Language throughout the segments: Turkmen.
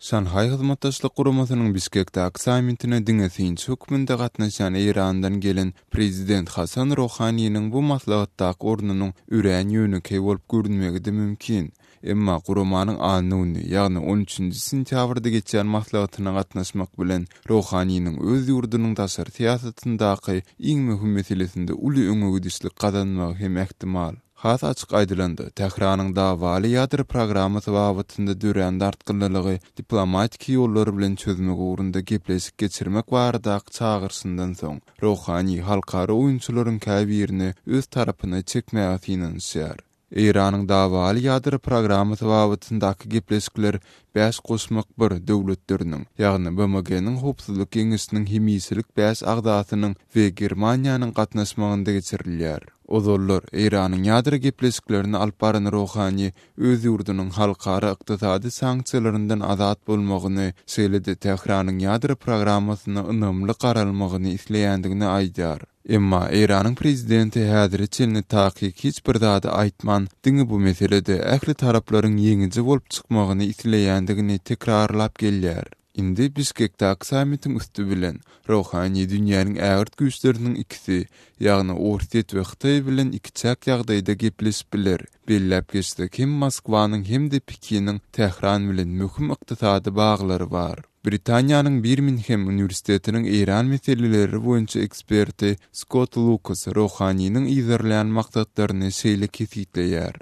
Şanhaý Hyzmatdaşlyk Guramasynyň Bişkekdäki sammitine diňe synçy hökmünde gatnaşýan Eýrandan gelen prezident Hasan Rohaniniň bu maslahatdaky ornunyň örän ýönekeý bolup görünmegi-de mümkin. Emma guramanyň anna güni, ýagny on üçünji sentýabrda geçýän maslahatyna gatnaşmak bilen, Rohaniniň öz ýurdunyň daşary syýasatyndaky iň möhüm meselesinde uly öňegidişlik gazanmagy hem ähtimal. Has açyk aýdylanda, Tähranyň dawaly ýadro programmasy babatynda dörän dartgynlylygy diplomatiki ýollar bilen çözmek ugrunda gepleşik geçirmek baradaky çagyryşyndan soň, Rohani halkara oýunçylaryň käbirini öz tarapyna çekmäge synanyşýar. Eýranyň dawaly ýadro programmasy babatyndaky gepleşikler Bäş goşmak bir döwletleriniň, ýagny BMG-niň Howpsuzlyk Geňeşiniň hemişelik bäş agzasynyň we Germaniýanyň gatnaşmagynda geçirilýär. Ozallar, Eýranyň ýadro gepleşiklerini alyp baran Rohani öz ýurdunyň halkara ykdysady sanksiýalaryndan azat bolmagyny, şeýle-de Tähranyň ýadro programmasyna ynamly garalmagyny isleýändigini aýdýar. Emma Eýranyň prezidenti häzire çenli takyk hiç bir zady aýtman, diňe bu meselede ähli taraplaryň ýeňiji bolup çykmagyny isleýändigini tekrarlap gelýär. Indi Bişkekdäki sammitiň üsti bilen, Rohani dünýäniň ägirt güýçleriniň ikisi, ýagny Orsýet we Hytaý bilen ikiçäk ýagdaýda gepleşip biler. Belläp geçsek, hem Moskwanyň hem-de Pekiniň Tähran bilen möhüm ykdysady baglary bar. Britaniýanyň Birminhem uniwersitetiniň Eýran meseleleri boýunça eksperti Skott Lukas Rohaniniň yzarlaýan maksatlaryny şeýle kesgitleýär.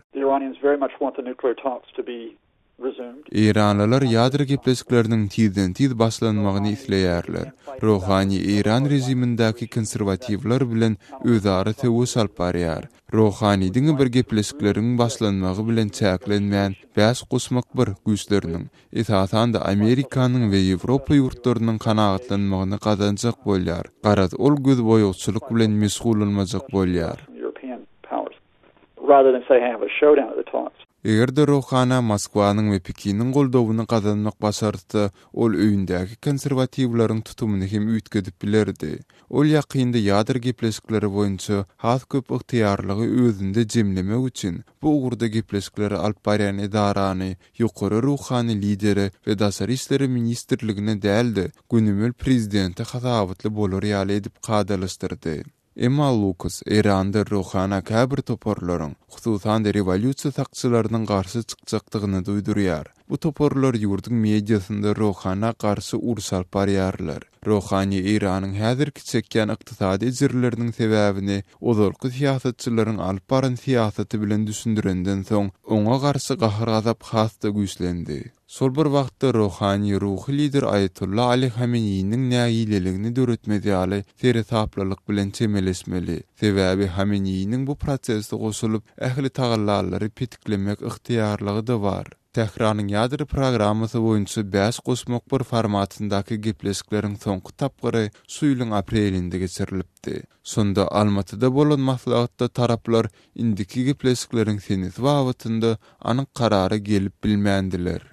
Eýranlylar ýadro gepleşikleriniň tizden-tiz başlanmagyny isleýärler. Rohani eýran režimindäki konserwatiwler bilen özara söweş alyp barýar. Rohani diňe bir gepleşikleriň başlanmagy bilen çäklenmän, bäş goşmak bir güýçleriniň, Esasan-da, Amerikanyň we Ýewropa ýurtlarynyň kanagatlanmagyny gazanjak bolýar. Garaz, ol gözboýagçylyk bilen meşgullanmajak bolýar. Eger-de Rohana Moskwanyň we Pekiniň goldawyny gazanmak başartsa, ol öýündäki konserwatiwleriň tutumyny hem üýtgedip bilerdi. Ol ýakynda ýadro gepleşikleri boýunça has köp ygtyýarlygy özünde jemlemek üçin bu ugurda gepleşikleri alyp barýan edarany ýokary ruhany lidere we daşary işleri ministrligine däl-de, gönümel prezidente hasabatly bolar ýaly edip kadalaşdyrdy. Emma Lukas Eýranda Rohana käbir toparlaryň, hususan-da rewolýusiýa sakçylarynyň garşy çykjakdygyny duýdurýar. Bu toparlar ýurduň mediasynda Rohana garşy uruş alyp barýarlar. Rohani Eýranyň häzirki çekýän ykdysady ejirleriniň sebäbini ozalky syýasatçylaryň alyp baran syýasaty bilen düşündirenden soň, oňa garşy gahar-gazap has-da güýçlendi. Şol bir wagtda Rohani ruhy lider Aýatolla Ali Hameneýiniň nägileligini döretmez ýaly seresaplylyk bilen çemeleşmeli. Sebäbi Hameneýiniň bu prosese goşulyp, ähli tagallalary petiklemek ygtyýarlygy-da bar. Tähranyň ýadro programmasy boýunça bäş goşmak bir formatyndaky gepleşikleriň soňky tapgyry şu ýylyň aprelinde geçirilipdi. Şonda Almatyda bolan maslahatda taraplar indiki gepleşikleriň senesi babatynda anyk karara gelip bilmändiler.